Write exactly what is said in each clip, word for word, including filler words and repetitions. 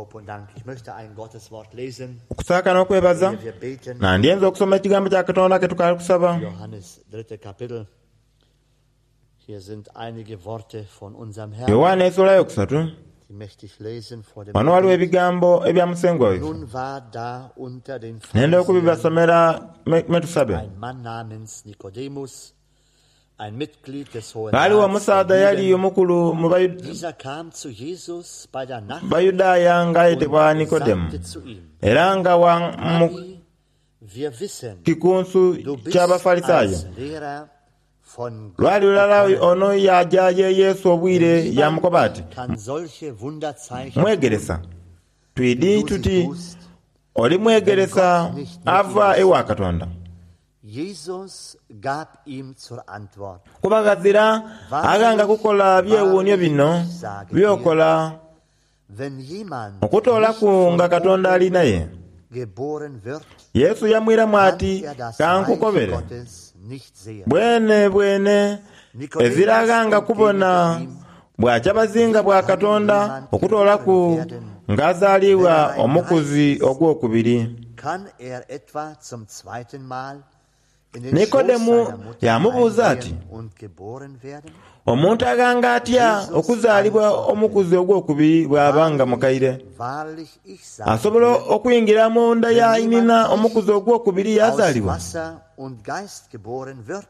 Lob und Dank. Ich möchte ein Gotteswort lesen. Okusaaka n'okwebaza Ehe wir beten. nandyenza okusoma ekigambo kya Katonda ke tukaali kusaba. Johannes, dritte Kapitel. Hier sind einige Worte von unserem Herrn, Yowaana essuula yokusatu die möchte ich lesen vor dem wano waliwo Gebet. ebigambo ebya musengwa waife Nun war da unter den nenda Pharisäern okubibasomera me me tusabe. ein Mann namens Nikodemus, ein Mitglied des Hohen Ghaliwo Rats omusaadha der yali Juden. omukulu mu Bayu- Dieser kam zu Jesus bei der Nacht Bayudaaya ng'ayetebwa und Nikodemu sagte zu ihm: era nga wa mu Rabbi, wir wissen, kikunsu du bist ky'Abafalisaayo. als Lehrer von Gott Lwali lulala gekommen. ono yaja ye Yesu obwire yamukoba ati, Niemand kann solche Wunderzeichen mwegeresa tun, twidi die du sie tuti tust. oli mwegeresa ava ewa Katonda. Jesus gab ihm zur Antwort: Kuba ghazira aghanga kukola byewuunyo bino by'okola Wenn jemand nicht okutoolaku von nga Katonda ali oben naye. geboren wird, Yesu yamwiramu kann ati, er das Reich kankukobere Gottes nicht sehen. bwene bwene ezira aghanga kubona bwakyabazinga bwa Wie kann Katonda jemand okutoolaku geboren werden, ng'azaalibwa wenn er ein omukuzi Greis ist? ogwokubiri. Kann er etwa zum zweiten Mal in den Schoß Nikodemu seiner Mutter yamubuuza ati, eingehen und geboren werden? omuntu aghanga atya Jesus okuzaalibwa antwortete: omukuzi ogwokubiri bw'aba nga mukaire? Wahrlich, ich sage Asobola dir, okuyingira mu nda ya wenn nnyina jemand omukuzi nicht ogwokubiri aus yazaalibwa? Wasser und Geist geboren wird,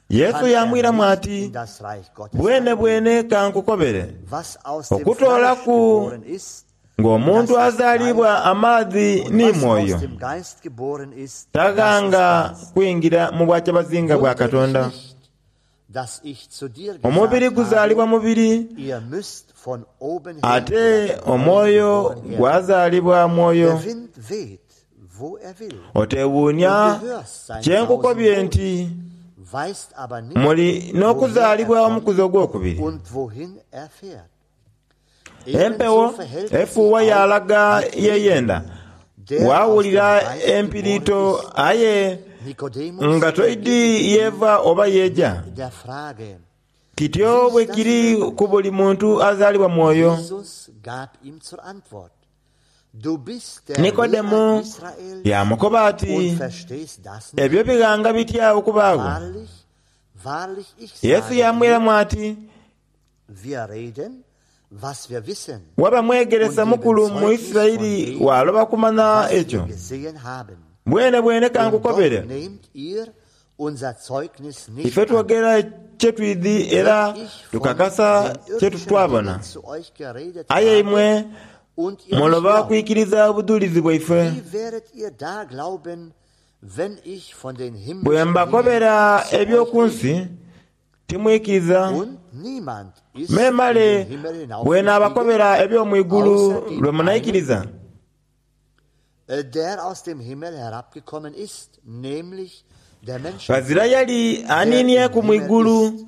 Yesu kann er yamwiramu nicht ati, in das Reich Gottes bwene eingehen. bwene kankukobere Was aus dem Fleisch okutoolaku geboren ist, ng'omuntu das ist Fleisch, azaalibwa amaadhi und ni was aus mwoyo dem Geist geboren ist, das ist taghanga Geist. kuyingira mu bwakyabazinga bwa Wundere dich Katonda. nicht, dass ich zu dir Omubiri gesagt guzaalibwa habe, mubiri ihr müsst von oben her ate oder von neuem omwoyo geboren werden. gwazaalibwa mwoyo. Der Wind weht, wo er will, und Oteewuunya du hörst sein kye Sausen nkukobye wohl, nti weißt aber nicht, muli woher er n'okuzaalibwa kommt omukuzi ogwokubiri. und wohin er fährt. Ebenso Empewo verhält es sich efuuwa auch yalaga mit ye jedem, yenda der aus dem waawulira Geist geboren empiriito ist. aye Nikodemus nga toidi entgegnete ihm yeeva oba yeeja. mit der Frage: Kityo Wie bwe ist das kiri möglich? ku buli muntu azaalibwa mwoyo. Jesus gab ihm zur Antwort: Du bist der Lehrer Nikodemu Israels yamukoba ati, und verstehst das nicht? ebyo bighanga bitya okubaagho? Wahrlich, wahrlich, ich Yesu sage dir, yamwiramu ati, wir reden, was wir wissen, waba mwegeresa und geben mukulu mu Zeugnis von Isirayiri dem, waloba kumanya was wir ekyo. gesehen haben. Bwene bwene Und doch kankukobere nehmt ihr unser Zeugnis nicht ife an. twogera kye twidhi era Wenn ich von tukakasa den kye irdischen twabona. Dingen zu euch geredet Aye habe imwe und ihr nicht muloba glaubt, kwikiriza obujulizi bwaife. wie werdet ihr da glauben, wenn ich von den Bwe himmlischen Dingen mbakobera zu euch eby'oku rede? nsi timwikiriza. Und niemand ist in Memale den Himmel bwe hinaufgestiegen, naabakobera eby'omu igulu außer lwe dem einen, munaikiriza. äh, der aus dem Himmel herabgekommen ist, nämlich der Ghazira Menschensohn, yali der im aniinieku mu Himmel igulu ist.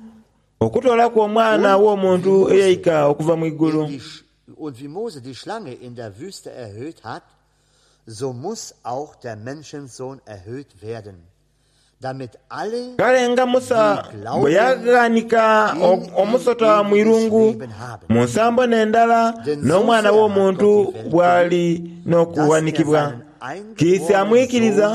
okutoolaku omwana Und wie w'omuntu Mose eyaika okuva mu in igulu. die, Sch- und wie Mose die Schlange in der Wüste erhöht hat, so muss auch der Menschensohn erhöht werden, damit alle, Kale nga Musa die bwe glauben, yaghanika in o- ihm omusota mu ewiges irungu Leben haben. mu nsambo n'endala Denn so n'omwana sehr hat Gott w'omuntu die Welt geliebt, bw'ali dass er n'okuwanikibwa. seinen Kiisi eingeborenen amwikiriza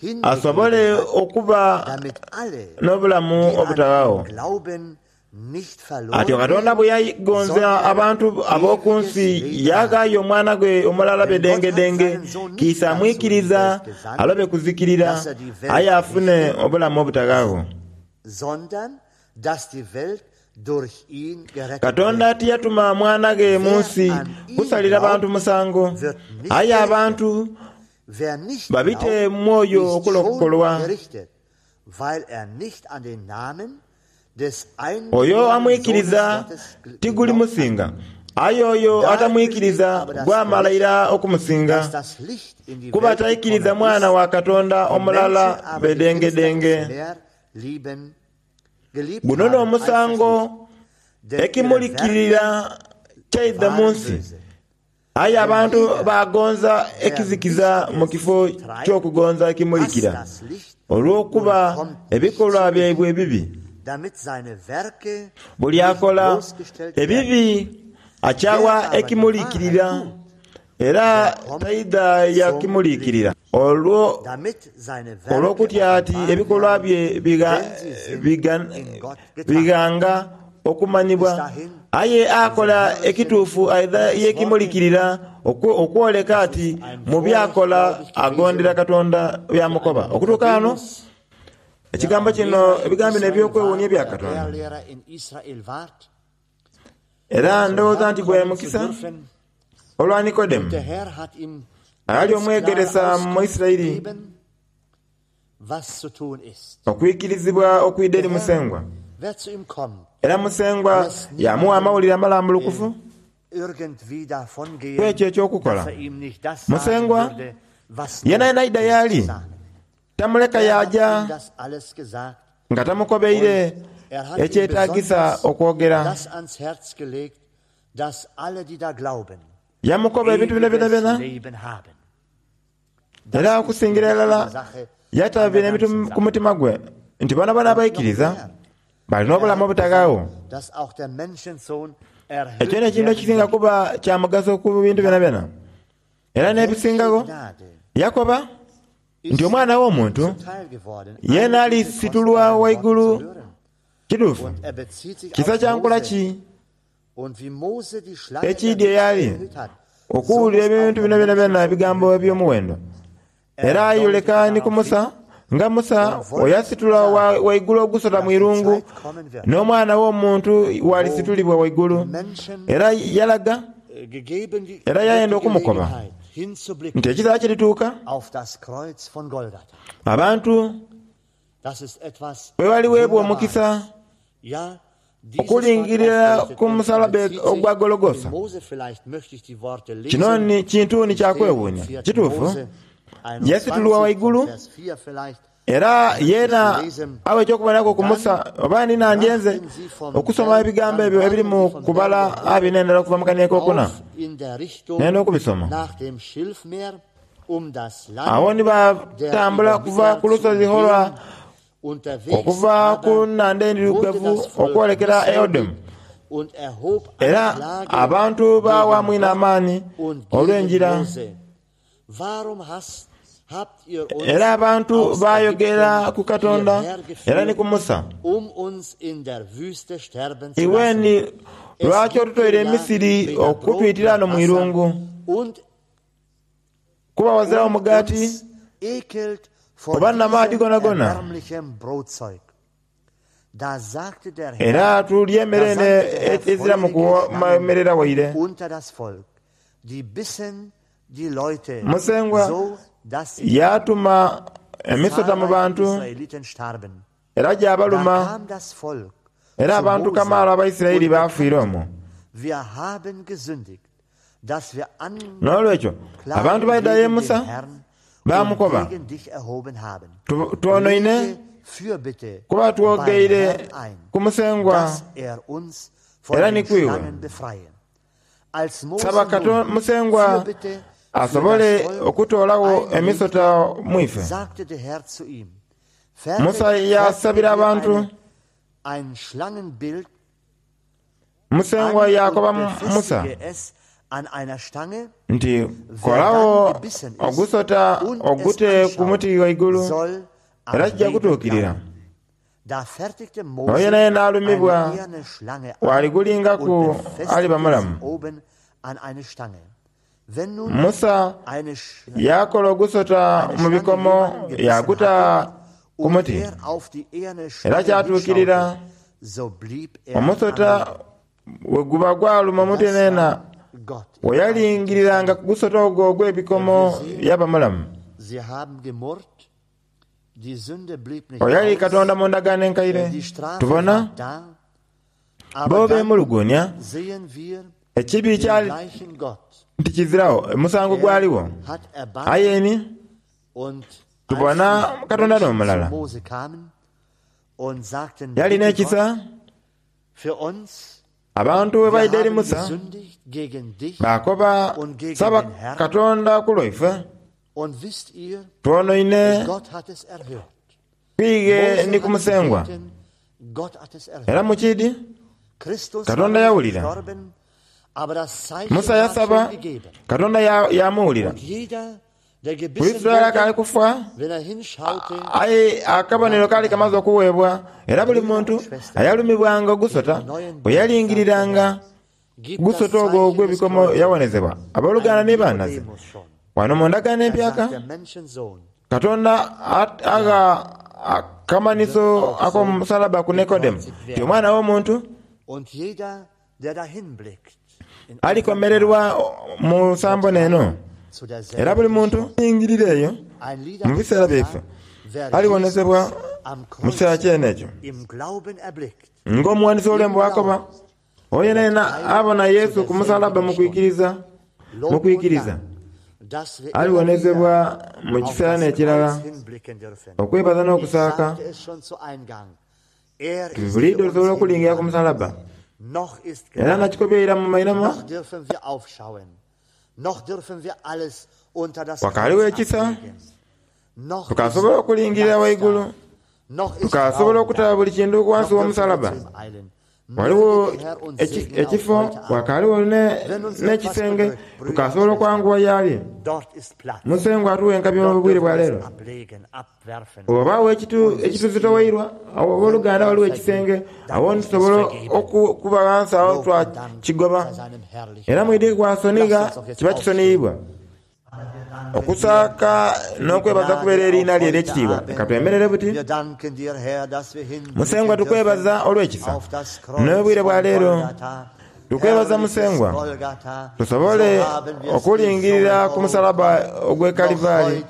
Sohn asobole hingegeben hat, okuba damit alle, n'obulamu die an ihn obutawaawo. glauben, nicht Atyo verloren Katonda gehen, bwe yagonza sondern abantu ab'oku ewiges nsi Leben haben. yaghaayo omwana gwe omulala Denn Gott hat bedengedenge seinen Sohn nicht kiisi dazu in die amwikiriza Welt gesandt, alobe kuzikirira dass er die aye Welt afune richte, obulamu obutaghaagho. sondern dass die Welt durch ihn gerettet Katonda wird. tiyatuma mwana ge mu Wer nsi an ihn kusalira bantu glaubt, musango wird nicht aye gerichtet. abantu Wer nicht babite glaubt, mwoyo ist schon okulokolwa. gerichtet, weil er nicht an den Namen des Oyo eingeborenen Sohnes amwikiriza Gottes gl- tiguli geglaubt hat. musinga aye oyo Darin besteht atamwikiriza aber das gwamala Gericht, ira okumusinga dass das Licht in die kuba Welt taikiriza gekommen mwana ist, wa Katonda die omulala Menschen aber die bedengedenge. Finsternis mehr lieben, geliebt Guno haben als das n'omusango Licht, denn ihre Werke ekimulikirira kyaidha mu waren nsi böse. aye Denn abantu jeder, bagonza der ekizikiza mu Lichtiges kifo treibt, ky'okugonza hasst ekimulikira das Licht olw'okuba und kommt nicht ebikolwa zu ihm, byaibwe ebibi. damit seine Werke Buli nicht akola bloßgestellt werden. ebibi akyawa Wer aber die Wahrheit ekimulikirira tut, Era taidha yakimuliikirira olwo olw'okutya ati ebikolwa bye bighanga okumanhibwa. Aye akola ekituufu aidha yekimuliikirira okwoleka ati mu by'akola agondera Katonda by'amukoba. Okutuuka ghano ekigambo kino, ebigambo bino eby'okwewuunia ebya Katonda. Era ndowooza nti gwe mukisa olwa Nikodemu ayali omwegeresa mu Isiraeli okwikirizibwa okwidha eri Musengwa. Era Musengwa yamuwa amawulire amalambulukufu ku ekyo eky'okukola. Musengwa yenayena aidha y'ali tamuleka yaja nga tamukobeire ekyetagisa okwogera. Yamukoba ebintu bino byonabyona, era okusingira irala yata bino ebintu ku mutima gwe nti boonaboona abaikiriza balina obulamu obutaghaagho. Ekyo n'ekintu ekisinga kuba kya mugaso ku bintu byonabyona. Era n'ebisingagho, yakoba nti Omwana w'Omuntu yeena alisitulwa ghaigulu. Kituufu, kisa kya nkola ki ekiidye y'ali okuwulira ebintu bino byonabyona ebigambo eby'omuwendo? Era ayoleka ni ku Musa, nga Musa oyasitula ghaigulu ogusota mu irungu, n'Omwana w'Omuntu bw'alisitulibwa ghaigulu. Era yalaga, era yayenda okumukoba nti ekiseera kirituuka abantu bwe baliweebwa omukisa okulingirira ku musalaba ogwa Gologosa. Kino ni kintu ni kya kwewuunia. Kituufu, yasitulwa ghaigulu era yeena awa eky'okuboneraku ku Musa. Oba ni nandyenze okusoma ebigambo ebyo ebiri mu kubala abiri n'endala okuva mu kania akokuna, nenda okubisoma. Agho ni baatambula okuva ku lusozi Hora okuva ku nhandha Endhirugavu okwolekera Edomu. Era abantu baawamu inho amaani olw'enjira. Era abantu baayogera ku Katonda era ni ku Musa, Iwe ni lwaki otutoire e Misiri okutwitira ghano mu irungu? Kuba ghazirawo mugaati oba n'amaadhi gonagona. Era tulya emere eno eziramu kuwomerera waire. Musengwa yaatuma emisota mu bantu era gyabaluma, era abantu kamaala Abaisiraeli baafiira omwo. N'olwekyo abantu baidha ye Musa baamukoba, Twonoine kuba twogeire ku Musengwa era ni ku iwe. Saba Musengwa asobole okutoolagho emisota mu ife. Musa yaasabira abantu. Musengwa yaakoba Musa nti, Kolagho ogusota ogute ku muti ghaigulu, era kija kutuukirira. Oyo yenayena alumibwa bw'aligulingaku aliba mulamu. Musa yaakola ogusota mu bikomo yaaguta ku muti, era kyatuukirira omusota bwe guba gwaluma omuntu yenayena, bwe yalingiriranga ku gusota ogwo ogw'ebikomo yaba mulamu. Oyo yali Katonda mu ndagaano enkaire. Tubona bo beemuluguunia ekibi kyali nti kiziragho, omusango gwaligho. Aye ni tubona Katonda n'omulala yalina ekisa. Abantu bwe baidha eri Musa baakoba, Saba Katonda ku lwaife, twonoine twighe ni ku Musengwa. Era mu kiidhi Katonda yawulira. Musa yasaba Katonda yamuwulira. Kurisito yali akaali kufa, aye akabonero kaali kamaze okuweebwa, era buli muntu ayalumibwanga ogusota bwe yalingiriranga gusota ogwo ogw'ebikomo yawonezebwa. Abooluganda ni banaze, wano mu ndagaano empyaka Katonda agha akamanhiso ak'omusalaba ku Nikodemu ti omwana w'omuntu alikomererwa mu nsambo n'eno. Era buli muntu alingirira eyo mu biseera byaife aliwonezebwa mu kiseera kyene ekyo. Ng'omuwandiisi w'olwembo bw'akoba, oyo yenayena abona Yesu ku musalaba mu kwikiriza mu kwikiriza aliwonezebwa mu kiseera n'ekirala. Okwebaza n'okusaaka buliidho tusobola okulingira ku musalaba. Era nakikobye ira mu mainhama, wakaaliwo ekisa, tukasobola okulingirira waigulu, tukasobola okutaba buli kintu ghansi w'omusalaba. Waliwo ekifo, wakaaliwo n'ekisenge, tukasobola okwanguwa y'ali. Musengwa atuwe enkabi obwire bwa leero. Oba ekituzitoweirwa, abooluganda waliwo ekisenge, awo nitusobola okuba ghansi awo twakigoba. Era mwidhi gwasonigha kiba kisoniyibwa. Okusaaka n'okwebaza kubeera eriina lye ery'ekitiibwa. Leka twemerere buti. Musengwa tukwebaza olw'ekisa n'obwire bwa leero. Tukwebaza Musengwa tusobole okulingirira ku musalaba ogw'e Kalivari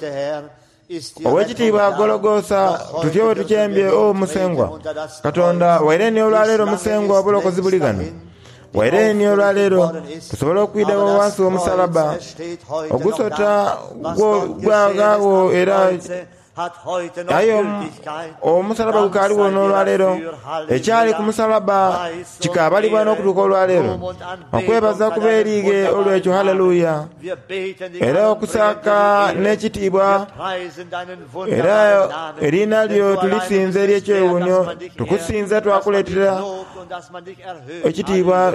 ow'ekitiibwa Gologosa tutyo bwe tukyembye. O Musengwa Katonda, waire ni olwaleero Musengwa obulokozi buli ghano. Waire ni olwaleero tusobola okwidha wansi w'omusalaba ogusota gwaghaagho, era aye omusalaba gukaaliwo n'olwaleero. Ekyali ku musalaba kikabalibwa n'okutuuka olwaleero. Okwebaza kuba erighe olw'ekyo, haleluya. Era okusaaka n'ekitiibwa, era eriina lyo tulisinza ery'ekyewuunyo. Tukusinza twakuleetera ekitiibwa,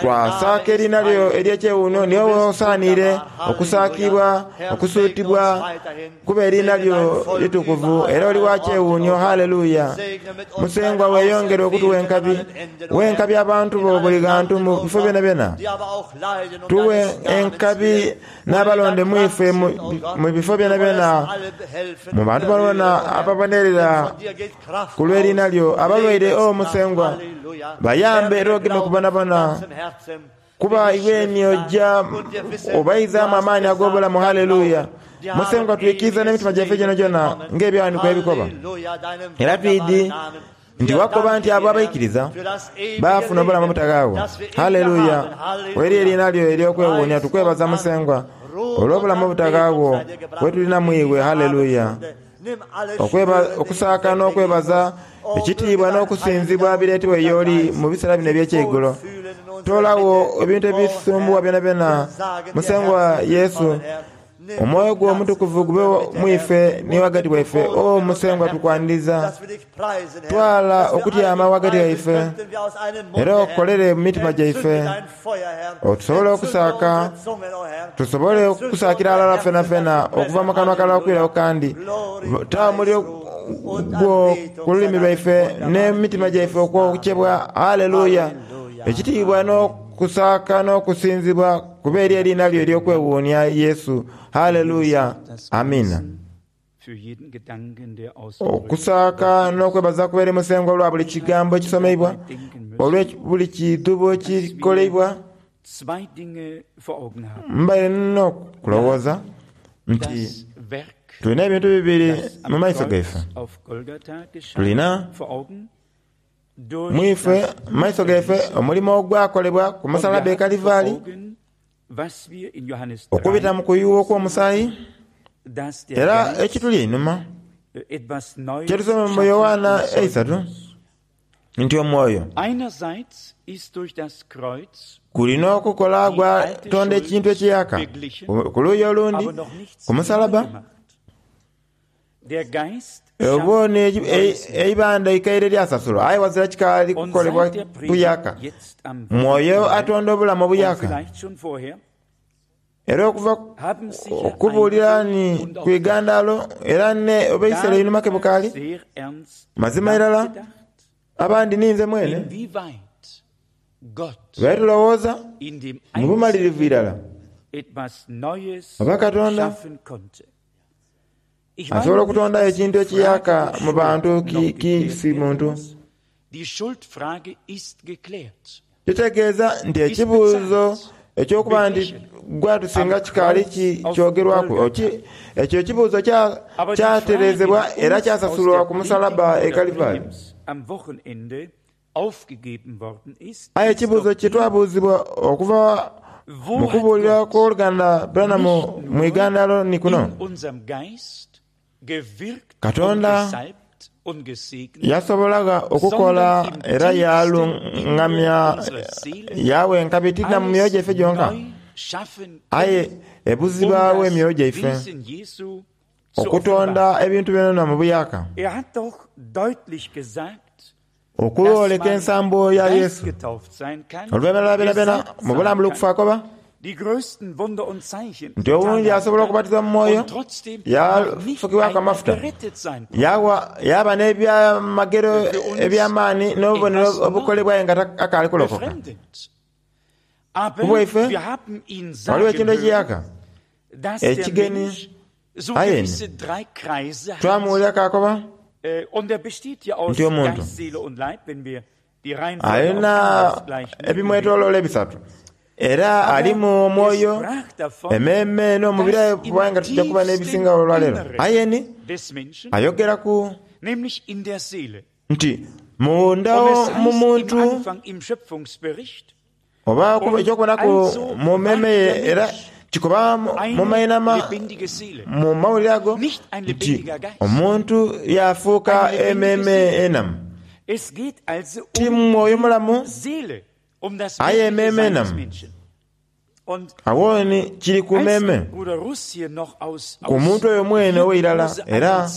twasaaka eriina lyo ery'ekyewuunyo. Niwe wosaanire okusaakibwa, okusuutibwa, kuba eriina lyo litukuvu era oli wa kyewuunyo. Haleluya. Musengwa weeyongere okutuwa enkabi, wenkabi abantu bo buli ghantu mu bifo byonabyona. Tuwe enkabi n'abalonde mwife mu bifo byonabyona, mu bantu bonabona ababonerera ku lw'eriina lyo. Abalwaire, o Musengwa, bayambe era ogeme kubonabona, kuba iwe ni ojja obaizaamu amaani ag'obulamu. Haleluya. Musengwa twikiriza n'emitima gyaife gyonagyona ng'ebyawandiikibwa ebikoba. Era twidi nti wakoba nti abo abaikiriza baafuna obulamu obutaghaagho. Haleluya. Eri eriina lyo ery'okwewuunia tukwebaza Musengwa olw'obulamu obutaghaagho bwe tulina mu iwe. Haleluya. Okusaaka n'okwebaza, ekitiibwa n'okusinzibwa bireetebwa y'oli mu biseera bino eby'ekyeigulo. Toolagho ebintu ebisumbuwa byonabyona. Musengwa Yesu, omwoyo gwo omutukuvu gube mwife ni ghagati waife. O Musengwa tukwaniriza, twala okutyama ghagati waife era okolere mu mitima gyaife, otusobole okusaaka, tusobole okusaakira alala fenafena okuva mu kanwa kalala okwirawo kandi. Taa omuliro gwo ku lulimi lwaife n'emitima gyaife okwokyebwa. Haleluya. Ekitiibwa n'okusaaka n'okusinzibwa kuba eri eriina lyo ery'okwewuunia Yesu. Haleluya. Amina. Okusaaka n'okwebaza kuba eri Musengwa olwa buli kigambo ekisomeibwa, olwa buli kidhubo ekikoleibwa. Mbaire n'okulowooza nti tulina ebintu bibiri mu maiso gaife. Tulina mwife mu maiso gaife omulimo ogwakolebwa ku musalaba e Kalivari okubita mu kuyuwa okw'omusaayi, era ekituli einhuma kyetusoma mu Yowaana eisatu nti omwoyo gulina okukola gwatonda ekintu ekiyaka. Ku luuyi olundi ku musalaba Oba eibanda ikaire lyasasulwa aye wazira kikaali kukolebwa buyaka. Mwoyo atonda obulamu obuyaka. Era okuva okubuulira ni ku igandalo era ne oba einhuma ke bukaali mazima irala abandi ninze mwene tubaire tulowooza mu bumalirivu irala oba Katonda asobola okutondayo ekintu ekiyaka mu bantu kisi muntu. Kitegeeza nti ekibuuzo ekyokuba nti gwatusinga kikaali kyogerwaku. Ekyo ekibuuzo kyatereezebwa era kyasasulwa ku musalaba e Kalivari. Aye ekibuuzo kye twabuuzibwa okuva mu kubuulira kw'oluganda Branham mu igandalo ni kuno. Katonda yasobolaga okukola era yalungamya yawa enkabi tina mu myoyo gyaife gyonka, aye ebuzibwawo emyoyo gyaife okutonda ebintu byona mu buyaka, okwoleka ensambo ya Yesu. Oluvannyuma lwa byonabyona mu bulambulukufu akoba nti owundi asobola okubatizibwa mu mwoyo yafukibwaku amafuta yaba n'ebyamagero eby'amaani n'obubonero obukolebwayo nga akaali kulokoka. Kubwaife waliwo ekintu ekiyaka ekigeni aye twamuwulira kakoba nti omuntu alina ebimwetoloola ebisatu era alimu omwoyo, emmeeme n'omubiri kubanga tujja kuba n'ebisinga olwaleero. Aye ni ayogeraku nti munda mu muntu oba ekyokubonaku mu mmeeme ye era kikoba mu mainama mu mawulire ago nti omuntu yafuuka emmeeme enamu. Ti mwoyo mulamu aye emmeeme enamu. Awo ni kiri ku mmeeme ku muntu oyo mwene ow'eirala. Era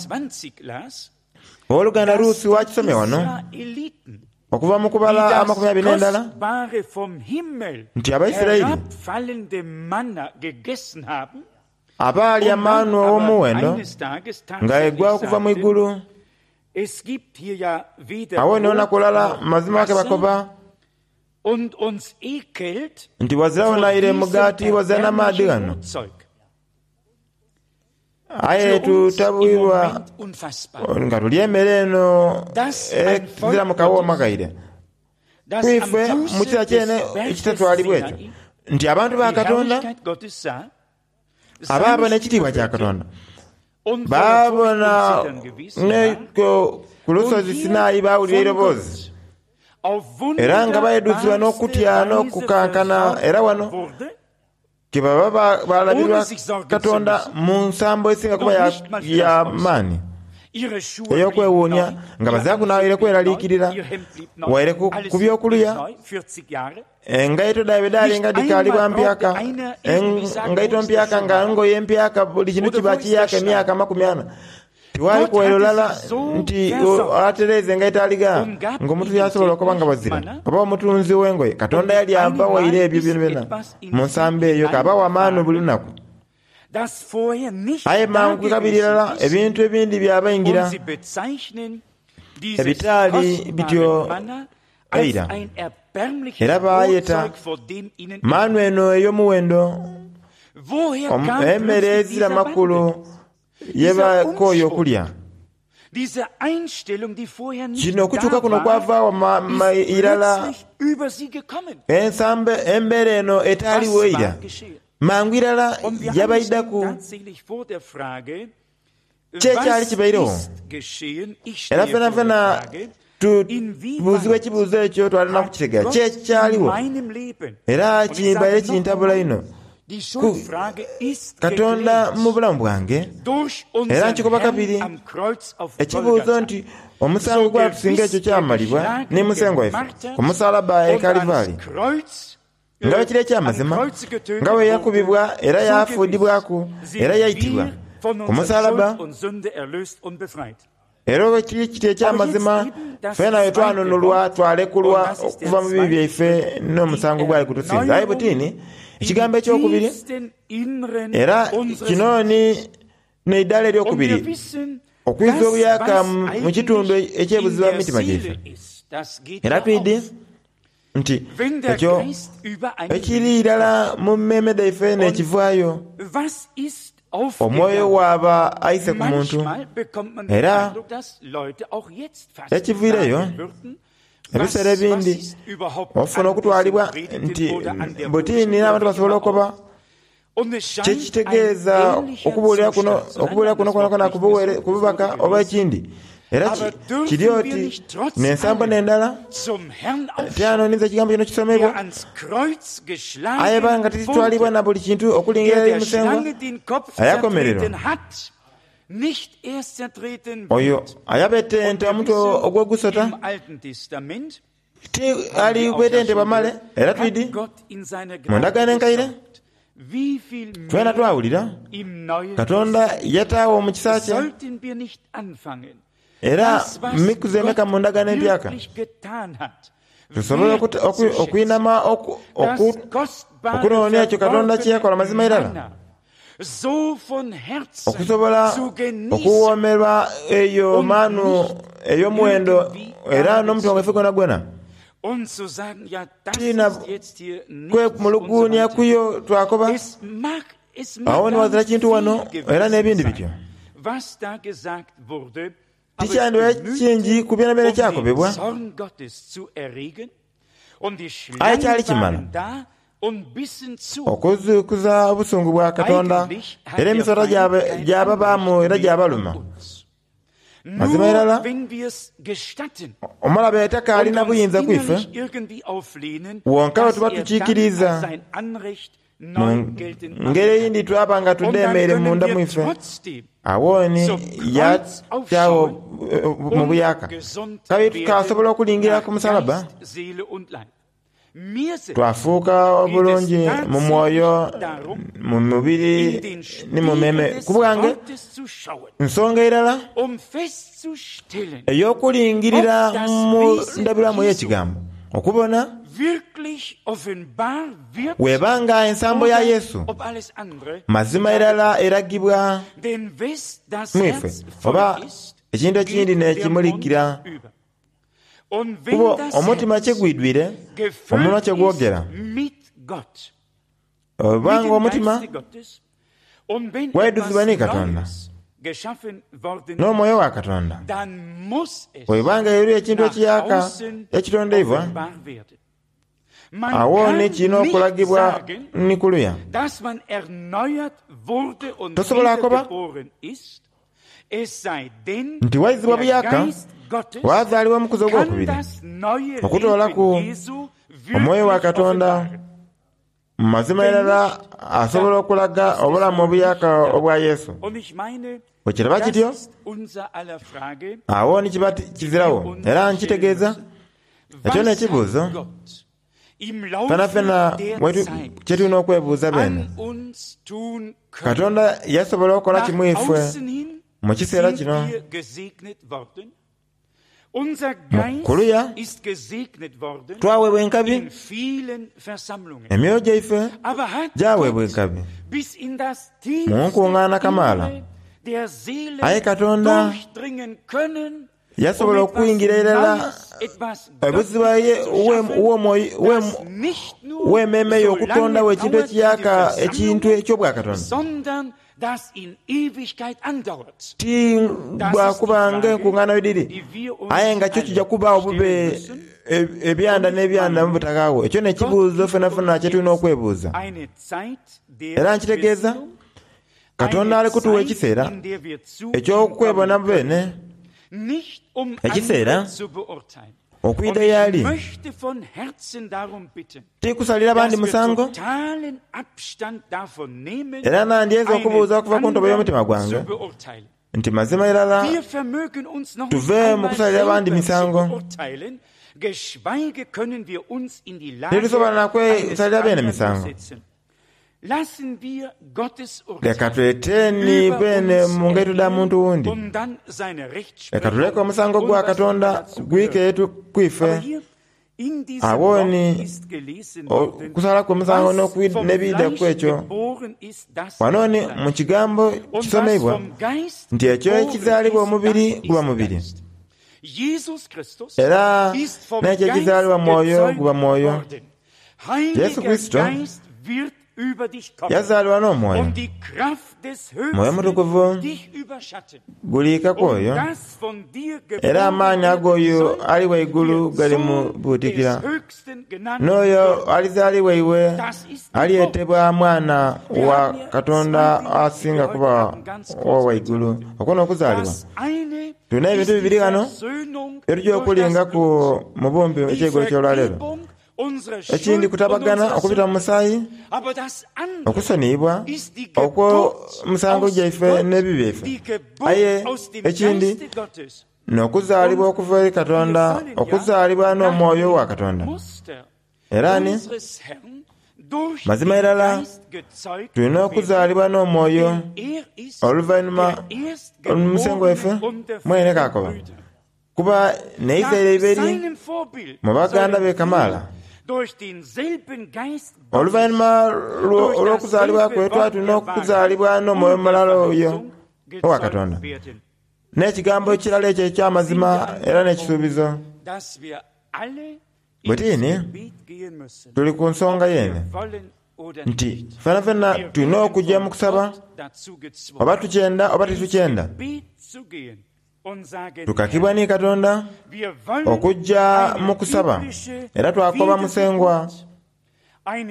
owooluganda Rusi wakisomye wano okuva mu kubala amakumi abiri n'endala nti Abaisiraeli abaalya manu ow'omuwendo nga egwa okuva mu igulu. Awo ni olunaku lulala mazima ke bakoba nti wazirawo naire mugaati wazira n'amaadhi ghano, aye tutabwirwa nga tulya emmere eno eziramu kawooma kaire. Kwife mu kiseera kyene ekitatwalibwa ekyo nti abantu ba Katonda abaabona ekitiibwa kya Katonda baabona ku lusozi Sinai baawulira eiroboozi era nga baidhuzibwa n'okutya n'okukankana. Era wano kebaba balabirwa Katonda mu nsambo esinga kuba ya maani ey'okwewuunia nga bazira kunawaire kweraliikirira waire ku by'okulya. Engaito dhaibwe dhaali nga dhikaalibwa mpyaka, engaito mpyaka nga ngoye mpyaka, buli kintu kiba kiyaka emyaka amakumi ana. Tiwali kuwaire lulala nti atereeze engaito aligha ng'omuntu yasobola okuba nga bazira oba omutunzi w'engoye. Katonda yali abawaire ebyo byonabyona mu nsambo eyo k'abawa maanu buli lunaku. Aye mangu kabiri irala ebintu ebindi byabaingira ebitaali bityo eira, era baayeta maanu eno ey'omuwendo emmere ezira makulu ye bakooye okulya. Kino okukyuka kuno kwavaawo irala ensambo embeera eno etaaliwo eira mangu irala yabaidhaku ki ekyali kibairegho. Era fenafena tubuuzibwa ekibuuzo ekyo twalina kukitegeera ki ekyaliwo, era kibaire kintabula inho Katonda mu bulamu bwange. Era nkikoba kabiri ekibuuzo nti omusango gwatusinga ekyo kyamalibwa ni Musengwa waife ku musalaba e Kalivari, nga bwe kiri eky'amazima nga bwe yakubibwa era yafuudibwaku era yaitibwa, ku musalaba. Era oba kiri kiti eky'amazima, ffena bwe twanunulwa twalekulwa okuva mu bibi byaife n'omusango gwali kutusinza. Aye butini ekigambo ekyokubiri, era kino ni n'eidaala eryokubiri okwiza obuyaka mu kitundu eky'ebuziba mu mitima gyaife. Era twidi nti ekyo ekiri irala mu mmeeme dhaife n'ekivaayo omwoyo waaba aise ku muntu. Era ekiviireyo ebiseera ebindi ofuna okutwalibwa nti butini n'abantu basobola okuba kyekitegeeza okubuulira kuno okubuulira kuno kwonakwo kububaka oba ekindi. Era kiri oti n'ensambo n'endala tyanoniza ekigambo kino kisomebwa, aye nga titwalibwa na buli kintu okulingira eri Musengwa ayakomererwa. Oyo ayabetenta omutwe ogw'ogusota ti ali bwetentebwa male. Era twidi mu ndagaano enkaire twena twawulira Katonda yataawo mu kisa kye, era mikuzi emeka mu ndagaano empyaka tusobola okwinama okunoonia ekyo Katonda kye yakola mazima irala, okusobola okuwoomerwa eyo manu ey'omuwendo era n'omutima gwaife gwonagwona. Tina kwemuluguunia kuyo twakoba awo ni wazira kintu wano era n'ebindi bityo. Tikyandibaire kingi ku byonabyona ekyakobebwa, aye kyali kimala okuzuukuza obusungu bwa Katonda, era emisota gyababaamu era gyabaluma. Mazima irala omulabe takalina buyinza kwife, wonka bwe tuba tukiikiriza mu ngeri eyindi twaba nga tudhemeire munda mwife, awo ni yataawo mu buyaka. Kabiri tukasobola okulingira ku musalaba, twafuuka obulungi mu mwoyo, mu mubiri ni mu mmeeme. Ku bwange nsonga irala ey'okulingirira mu ndabirwamu ey'ekigambo okubona webanga ensambo ya Yesu mazima irala eragibwa mwife, oba ekintu ekindi n'ekimulikira. Kuba omutima kyegwidwire, omunwa kyegwogera. Obanga omutima gwaidhuzibwa ni Katonda n'omwoyo wa Katonda, bwebanga eriyo ekintu ekiyaka ekitondeibwa, awo ni kirina okulagibwa ni kuluya. Tosobola koba nti waizibwa buyaka wazaalibwa omukuzi ogwokubiri okutoolaku omwoyo wa Katonda. Mu mazima irala asobola okulaga obulamu obuyaka obwa Yesu. Bwe kiraba kityo, awo ni kiba kizirawo. Era nkitegeeza ekyo n'ekibuuzo fenafena kye tulina okwebuuza bene. Katonda yasobola okukola kimwifwe mu kiseera kino. Mu kuluya twaweebwa enkabi, emyoyo gyaife gyaweebwa enkabi mu nkungaana kamaala. Aye Katonda yasobola okuyingira irala ebuziba w'emmeeme yo okutondawo ekintu ekiyaka, ekintu eky'obwakatonda. Ti bwakubanga enkungaana dhiri, aye nga kyo kijja kubaawo bube ebyanda n'ebyanda mu butakaagho. Ekyo n'ekibuuzo fenafena kye tulina okwebuuza. Era nkitegeeza Katonda ali kutuwa ekiseera eky'okwebona bene, ekiseera okwidha y'ali, ti kusalira bandi musango. Era nandyenze okubuuza okuva ku ntobo y'omutima gwange nti mazima irala tuve mu kusalira bandi misango. Titusobola na kwesalira bene misango. Leka tweteni bene mu ngaito dha muntu wundi. Leka tuleke omusango gwa Katonda gwike kwife. Awo ni okusala kw'omusango n'ebida ku ekyo. Wano ni mu kigambo kisomeibwa nti ekyo ekizaalibwa omubiri guba mubiri, era n'ekyo ekizaalibwa mwoyo guba mwoyo. Yesu Kristo yazaalibwa n'omwoyo. Mwoyo Mutukuvu guliikaku oyo, era amaani ag'oyo ali waigulu gali mu buutikira. N'oyo alizaalibwa iwe alyetebwa mwana wa Katonda asinga kuba owa waigulu. Okwo n'okuzaalibwa. Tulina ebintu bibiri ghano byetujja okulingaku mu bumpi ekyeigulo ky'olwaleero. Ekindi kutabagana okubita mu musaayi, okusoniyibwa okw'omusango gyaife n'ebibi byaife. Aye ekindi n'okuzaalibwa okuva eri Katonda, okuzaalibwa n'omwoyo wa Katonda. Era ni mazima irala tulina okuzaalibwa n'omwoyo oluvannyuma omusengo waife mwene kakoba kuba n'eizaire iberi mu baganda be kamaala. Oluvannyuma olw'okuzaalibwa kwe twali tulina okuzaalibwa n'omwoyo mulala oyo owa Katonda, n'ekigambo ekirala ekyo eky'amazima era n'ekisuubizo. Bwe tini tuli ku nsonga yene nti fenafena tulina okujja mu kusaba, oba tukyenda oba titukyenda. Tukakibwa ni Katonda okujja mu kusaba, era twakoba musengwa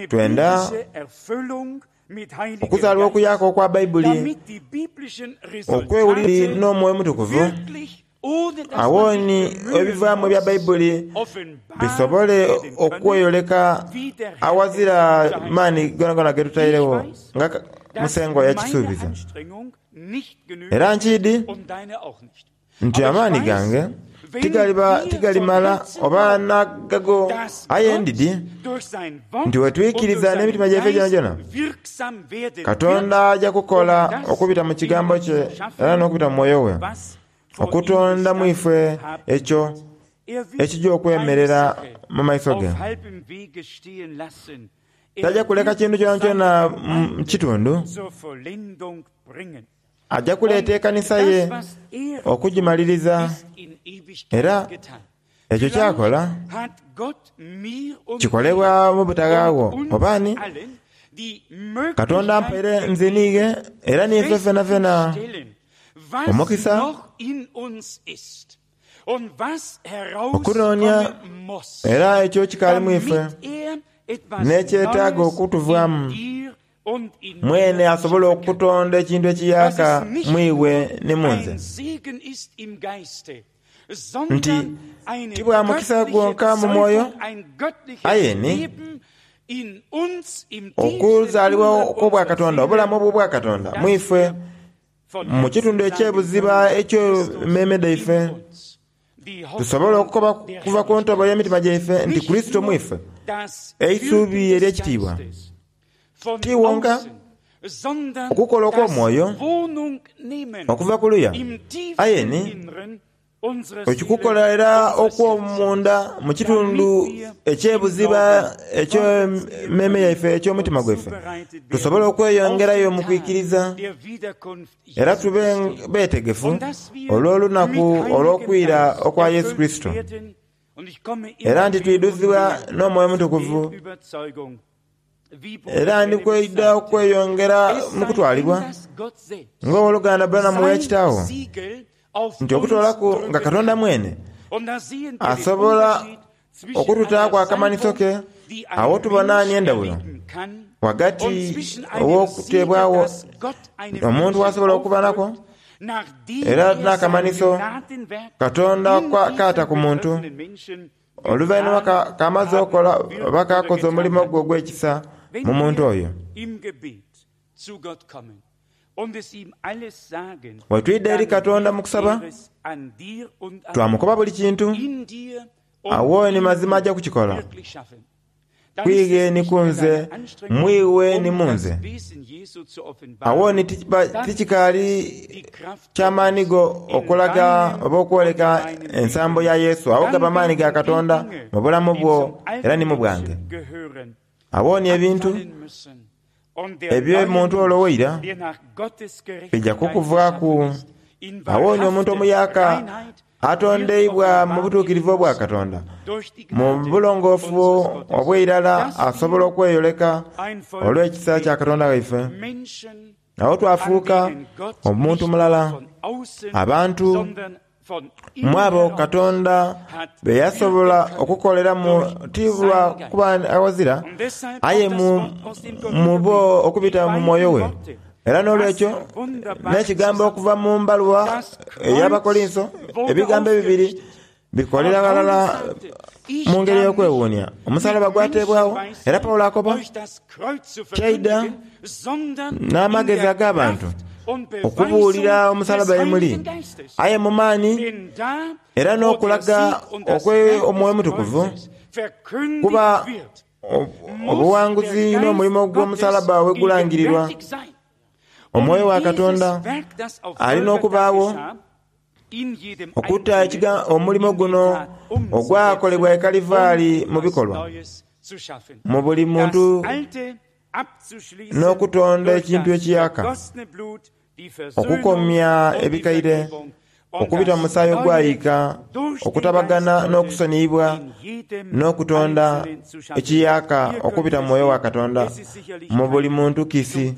twenda okuzaalibwa okuyaka okwa Baibuli, okwewulira n'omwoyo Mutukuvu. Awo ni ebivaamu ebya Baibuli bisobole okweyoleka awazira maani gonagona ge tutairewo nga musengwa yakisuubiza. Era nkiidi nti amaani gange tigalimala oba nagago, aye ndidi nti wetwikiriza n'emitima gyaife gyonagyona, Katonda ajja kukola okubita mu kigambo kye era n'okubita mu mwoyo we, okutonda mu ife ekyo ekijja okwemerera mu maiso ge. Tajja kuleka kintu kyonakyona mu kitundu, ajja kuleeta ekanisa ye okugimaliriza. Era ekyo kyakola kikolebwa mu butaghaagho. Oba ni Katonda ampaire nze niighe era niife fenafena omukisa okunoonia, era ekyo kikaali mu ife n'ekyetaaga okutuvaamu. Mwene asobola okutonda ekintu ekiyaka mu iwe ni mu nze, nti ti bwa mukisa gwonka mu mwoyo, aye ni okuzaalibwa okw'obwakatonda, obulamu obw'obwakatonda mu ife, mu kitundu eky'ebuziba eky'emmeeme dhaife, tusobola okukoba kuva ku ntobo y'emitima gyaife nti Kristo mu ife, eisuubi ery'ekitiibwa. Ti wonka okukola okw'omwoyo okuva ku luya, aye ni ekikukola era okw'omunda mu kitundu eky'ebuziba eky'emmeeme yaife, eky'omutima gwaife, tusobole okweyongerayo mu kwikiriza era tube beetegefu olw'olunaku olw'okwira okwa Yesu Kristo. Era nti twidhuzibwa n'omwoyo Mutukuvu, era ndi kwida okweyongera mu kutwalibwa ng'owoluganda Branham yakitaawo nti okutoolaku nga Katonda mwene asobola okututaaku akamanhiso ke, awo tubona ni endawulo ghagati ow'okuteebwawo omuntu w'asobola okuba nako era n'akamanhiso Katonda kaata ku muntu oluvannyuma kamaze okola oba kakoze omulimo gwe ogw'ekisa mu muntu oyo. Bwe twidha eri Katonda mu kusaba, twamukoba buli kintu, awo ni mazima ajja kukikola. Kwighe ni kunze, mwiwe ni munze. Awo ni tichikaali kyamaani go okulaga oba okwoleka ensambo ya Yesu. Awo gaba maani ga Katonda mu bulamu bwo era ni mu bwange. Awo ni ebintu eby'omuntu olowoira bija kukuvaaku. Awo ni omuntu omuyaka atondeibwa mu butuukirivu obwa Katonda, mu bulongoofu obw'eirala asobola okweyoleka olw'ekisa kya Katonda waife. Awo twafuuka omuntu mulala, abantu mwabo Katonda be yasobola okukoleramu ti lwa kuba awazira, aye mu bo okubita mu mwoyo we. Era n'olwekyo n'ekigambo okuva mu mbaluwa ey'Abakolinso, ebigambo ebibiri bikolera ghalala mu ngeri y'okwewuunia. Omusalaba gwateebwawo, era Pawulo akoba kyaida n'amagezi ag'abantu okubuulira omusalaba emuli, aye mu maani era n'okulaga okw'Omwoyo Omutukuvu, kuba obuwanguzi n'omulimo gw'omusalaba we gulangirirwa. Omwoyo wa Katonda alina okubaawo okutta omulimo guno ogwakolebwa e Kalivaali mu bikolwa mu buli muntu n'okutonda ekintu ekiyaka, okukomya ebikaire, okubita mu musaayi ogwayiika, okutabagana n'okusoniyibwa, n'okutonda ekiyaka okubita mu mwoyo wa Katonda mu buli muntu kiisi.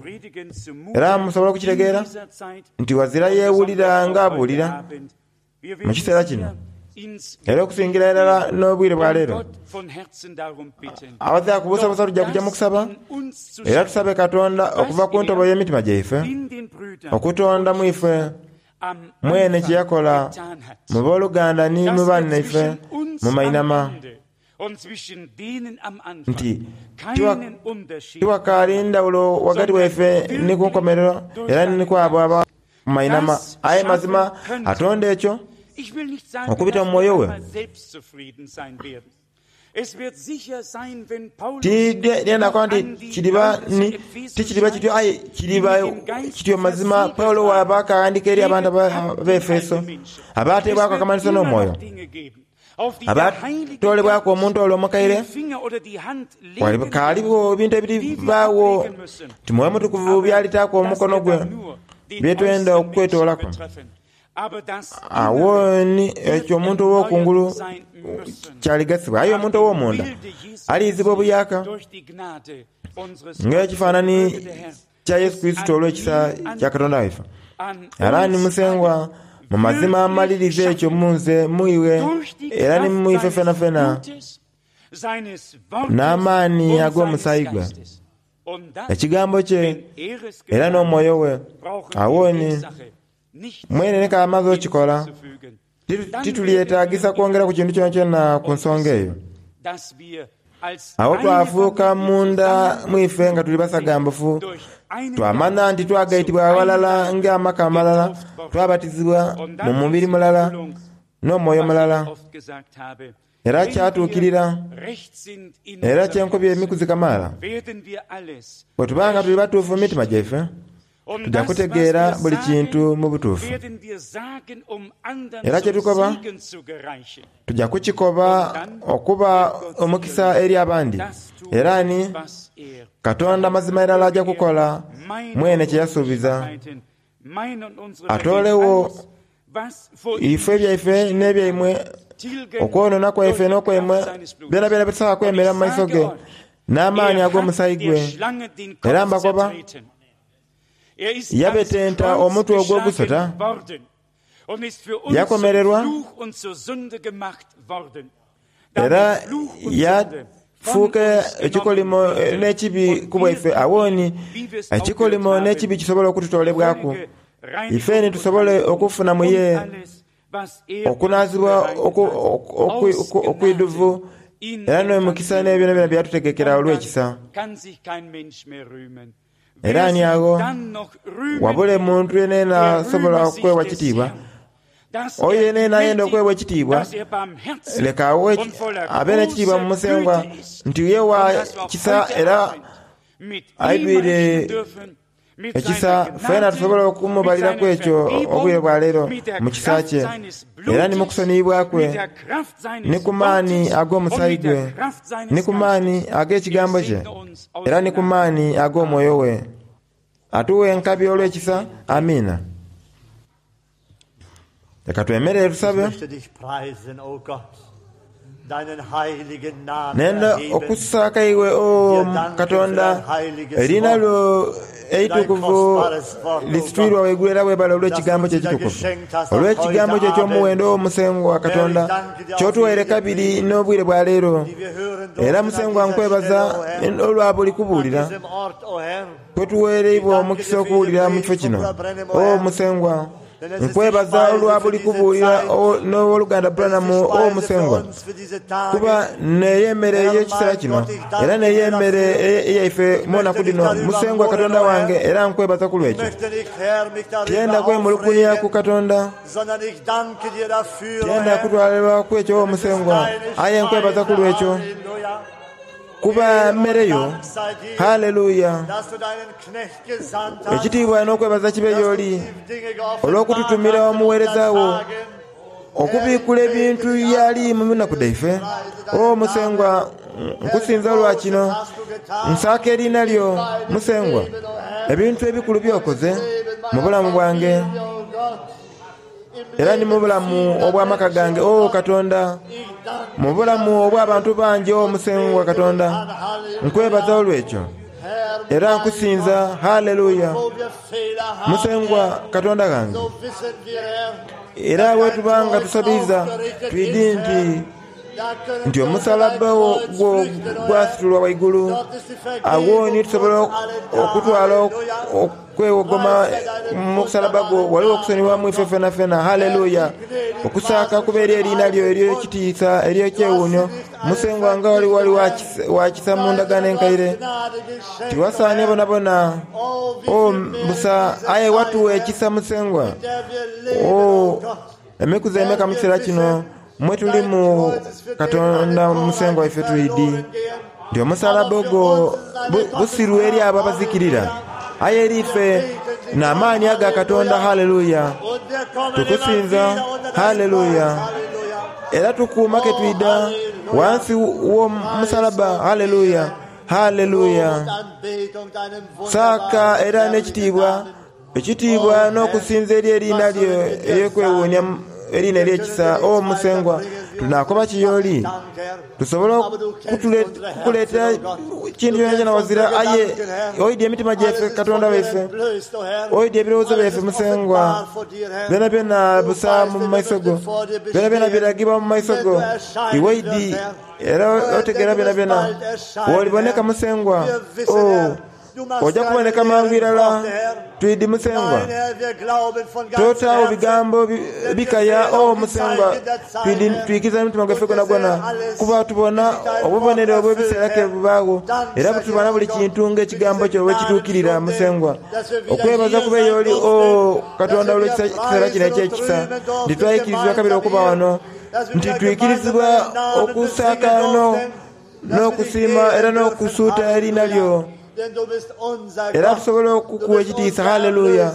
Era musobola okukitegeera nti wazira yeewulira ng'abuulira mu kiseera kino, era okusingira irala n'obwire bwa leero. Abazira kubuusabuusa tujja kujja mu kusaba, era tusabe Katonda okuva ku ntobo y'emitima gyaife okutonda mu ife mwene kye yakola mu booluganda ni mu bannaife mu mainama, nti tiwakaali ndawulo wagati waife ni ku nkomerero era ni ku abo aba mu mainama. Aye mazima atonda ekyo okubita mu mwoyo we. Tidyenda nti kiriba ni tikiriba kityo, aye kiriba kityo mazima. Pawulo waba akaghandika eri abantu ab'Efeso abateebwaku akamanhiso n'omwoyo, abatolebwaku omuntu olwo omukaire, kaaliwo ebintu ebiribaawo nti Mwoyo Mutukuvu byalitaaku omukono gwe byetwenda okwetoolaku. Awo ni ekyo omuntu ow'okungulu kyaligasibwa, aye omuntu ow'omunda aliizibwa obuyaka ng'ekifaanani kya Yesu Kristo olw'ekisa kya Katonda waife. Era ni Musengwa mu mazima amaliriza ekyo munze muiwe era ni muife fenafena n'amaani ag'omusaayi gwe, ekigambo kye era n'omwoyo we. Awo ni mwene ne kamaze okikola, titulyetagisa kwongera ku kintu kyonakyona ku nsonga eyo. Awo twafuuka munda mwife nga tuli basagambufu, twamanya nti twagaitibwa awalala ng'amaka amalala, twabatizibwa mu mubiri mulala n'omwoyo mulala. Era kyatuukirira, era kyenkobye emikuzi kamaala, bwe tubanga tuli batuufu mu mitima gyaife, tujja kutegeera buli kintu mu butuufu. Era kyetukoba tujja kukikoba okuba omukisa eri abandi. Era ni Katonda mazima irala ajja kukola mwene kye yasuubiza, atoolewo ife ebyaife n'ebyaimwe, okwonoona kwaife n'okwaimwe, byonabyona bitusobola kwemera mu maiso ge n'amaani ag'omusaayi gwe. Era mbakoba, yabetenta omutwe ogw'ogusota, yakomererwa era yafuuka ekikolimo n'ekibi ku bwaife. Awo ni ekikolimo n'ekibi kisobola okututolebwaku, ife ni tusobole okufuna mu ye okunaazibwa okwidhuvu era n'omukisa n'ebyonabyona byatutegekera olw'ekisa. Era ni agho wabule muntu yenayena asobola okwewa kitiibwa, Oyo yenayena ayenda okuweebwa ekitiibwa, leka awe abe n'ekitiibwa mu Musengwa nti ye wa kisa era aidwire ekisa. Fena tusobola okumubaliraku ekyo obwire bwa leero mu kisa kye, era ni mu kusoniyibwa kwe, ni ku maani ag'omusaayi gwe, ni ku maani ag'ekigambo kye, era ni ku maani ag'omwoyo we. Atuwe enkabi olw'ekisa. Amiina. Leka twemerere Ich tusabe. möchte dich preisen, o Gott, deinen heiligen Namen Nenda erheben, okusaaka iwe o Katonda, eriina lyo eitukuvu lisitwirwa waigulu era webale olw'ekigambo kye ekitukuvu, olw'ekigambo kye eky'omuwendo o Musengwa Katonda ky'otuwaire kabiri n'obwire bwa leero. die wir hören Era durften an Musengwa dieser nkwebaza Stelle, o Herr, olwa buli an kubuulira diesem Ort, o Herr. kwetuweereibwa omukisa okuwulira mu kifo kino. O Musengwa, nkwebaza olwa buli kubuulira o- n'owoluganda Branham Es ist die o Speise für Musengwa, uns für diese Tage. kuba neyo emmere ey'ekiseera kino era neyo emmere eyaife munaku dino. Musengwa Katonda wange, era nkwebaza ku Ich lwekyo. möchte nicht, Herr, mich Tyenda darüber kwemulugunya ku aufregen, Katonda, sondern ich danke dir dafür, o tyenda Herr. kutwalirwa ku ekyo o Es ist Musengwa, deine aye nkwebaza ku Speise, lwekyo Halleluja. kuba Ehre und mmere yo. Dank sei dir, Haleluya. dass du deinen Knecht gesandt hast, Ekitiibwa n'okwebaza kibe dass du gy'oli die Dinge geoffenbart olw'okututumira hast in omuweereza unseren wo Tagen. okubiikula ebintu byali mu binaku dhaife. O Musengwa, nkusinza olwa kino, nsaaka eriina lyo Musengwa, ebintu ebikulu by'okoze mu bulamu bwange era ni mu bulamu obw'amaka gange. O Katonda, mu bulamu obw'abantu bangi, o Musengwa Katonda, nkwebaza olw'ekyo era nkusinza. Haleluya. Musengwa Katonda gange, era bwetubanga tusabiriza twidi nti nti omusalaba wo gwo gwasitulwa waigulu, awo ni tusobola okutwala okwewogoma mu musalaba gwo. Waliwo okusonyiwamu ife fena fena. Haleluya. Okusaaka kuba eri eriina lyo ery'ekitiisa ery'ekyewuunyo. Musengwa, nga wali wali wakisa- wakisa mu ndagaano enkaire, tiwasaanye bonabona o busa, aye watuwa ekisa Musengwa. O emikuzi emeka mu kiseera kino mwe tulimu Katonda Musengwa ife twidi nti omusalaba ogwo bu- busiru eri abo abazikirira, aye eri ife n'amaani aga Katonda. Haleluya. Tukusinza. Haleluya. Era tukuuma ke twida wansi w'omusalaba. Haleluya, haleluya. Saaka era n'ekitiibwa, ekitiibwa n'okusinza eri eriina lyo ery'okwewuunya, eriina ery'ekisa. O Musengwa, tunaakoba kiyooli tusobole okutule- kukuleetera kintu kyona kyona wazira, aye oidya emitima gyaife Katonda waife, oidya ebirowoozo byaife Musengwa. Byona byona busa mu maiso go, byona byona biragibwa mu maiso go. Iwe idi era otegeera byona byona. Woliboneka Musengwa, o ojja kuboneka mangu irala. Twidi Musengwa, totaawo bigambo bi- bikaya. O Musengwa, twidi twikiza emitima gwaife gwonagwona, kuba tubona obubonero obw'ebiseera ke bubaawo, era butubona buli kintu ng'ekigambo kyo bwekituukirira. Musengwa, okwebaza kuba ey'oli o Katonda olw'ekiseera kino eky'ekisa nti twayikirizibwa kabiri okuba wano, nti twikirizibwa okusaaka no- n'okusiima era n'okusuuta eriina lyo, era tusobole okukuwa ekitiisa. Haleluya.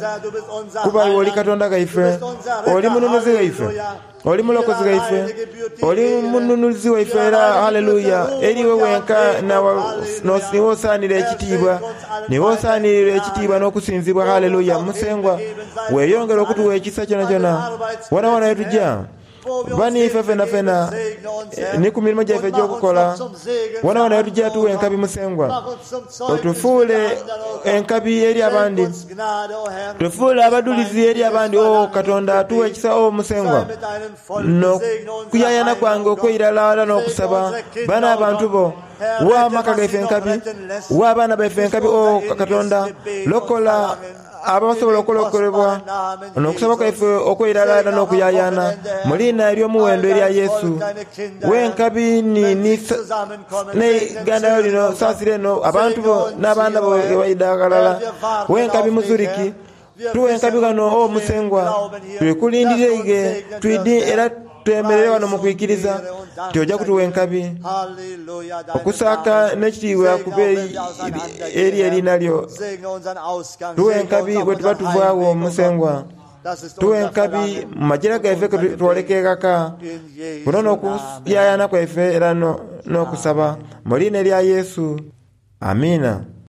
Kuba iwe oli Katonda gaife, oli mununuzi waife, oli mulokozi waife, oli mununuzi waife era haleluya. Eriwe wenka nawa- no- niwe osaanira ekitiibwa, niwe osaanirira ekitiibwa n'okusinzibwa. Haleluya. Musengwa, weeyongera okutuwa ekisa kyona kyona wona wona wetujja, baniife fena fena, eh, ni ku mirimu gyaife egy'okukola wona wona wetujja. Tuwa enkabi Musengwa, otufuule enkabi eri abandi, tufuule abadulizi eri abandi. O Katonda, tuwa ekisa o Musengwa. N'okuyayana kwange okweirala era n'okusaba bana abantu bo, wa amaka gaife enkabi, wa abaana baife enkabi. O Katonda, lokola abasobola okulokolebwa. N'okusaba kwaife okweirala era n'okuyayana mu liina ery'omuwendo erya Yesu, wenkabi ni neiganda lino saasira eno abantu bo n'abaana bo ebaida ghalala. Wenkabi muzuriki Tuwe enkabi ghano o Musengwa, tulikulindira ige twidi era twemerere wano mu kwikiriza nti ojja kutuwa enkabi. Okusaaka n'ekitiibwa kube eri eriina lyo. Tuwe enkabi bwe tuba tuvaagho Musengwa. Tuwe enkabi mu majira gaife twoleka eghaka. Kuno n'okuyayana kwaife era n'okusaba mu liina erya Yesu. Amiina.